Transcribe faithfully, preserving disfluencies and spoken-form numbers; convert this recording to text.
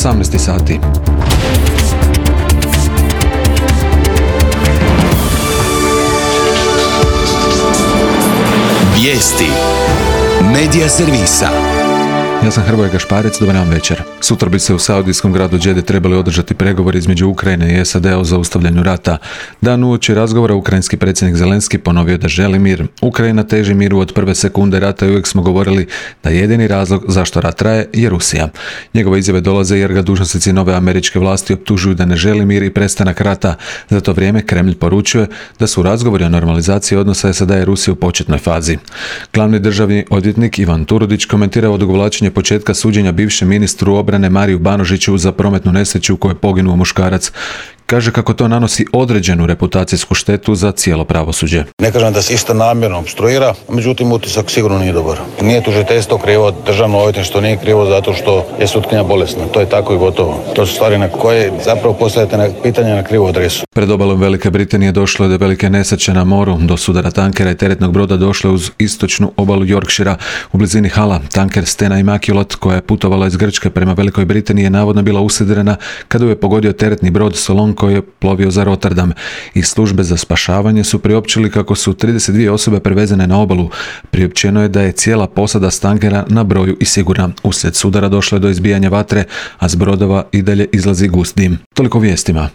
osamnaest sati. Vijesti Medija servisa. Ja sam Hrvoje Gašparec, dobar nam večer. Sutra bi se u saudijskom gradu Džede trebali održati pregovori između Ukrajine i S A D-a o zaustavljanju rata. Dan uoči razgovora ukrajinski predsjednik Zelenski ponovio da želi mir. Ukrajina teži miru od prve sekunde rata i uvijek smo govorili da jedini razlog zašto rat traje je Rusija. Njegove izjave dolaze jer ga dužnosnici nove američke vlasti optužuju da ne želi mir i prestanak rata. Za to vrijeme Kremlj poručuje da su razgovori o normalizaciji odnosa S A D-a i Rusije u početnoj fazi. Glavni državni odvjetnik Ivan Turudić komentirao odugovlačenje početka suđenja bivšem ministru obrane Mariju Banožiću za prometnu nesreću u kojoj je poginuo muškarac. Kaže kako to nanosi određenu reputacijsku štetu za cijelo pravosuđe. Ne kažem da se isto namjerno obstruira, međutim utisak sigurno nije dobar. Nije tužiteljstvo krivo, državno odvjetništvo nije krivo zato što je sutkinja bolesna. To je tako i gotovo. To su stvari na koje zapravo postavljate na pitanje na krivu adresu. Pred obalom Velike Britanije došlo je do velike nesreće na moru. Do sudara tankera i teretnog broda došlo je uz istočnu obalu Yorkshira u blizini Hala. Tanker Stena Immaculate koja je putovala iz Grčke prema Velikoj Britaniji je navodno bila usidrena kada je pogodio teretni brod Solon koji je plovio za Rotterdam. Iz službe za spašavanje su priopćili kako su trideset dvije osobe prevezene na obalu. Priopćeno je da je cijela posada s tankera na broju i sigurna. Uslijed sudara došlo je do izbijanja vatre, a s brodova i dalje izlazi gust dim. Toliko vijestima.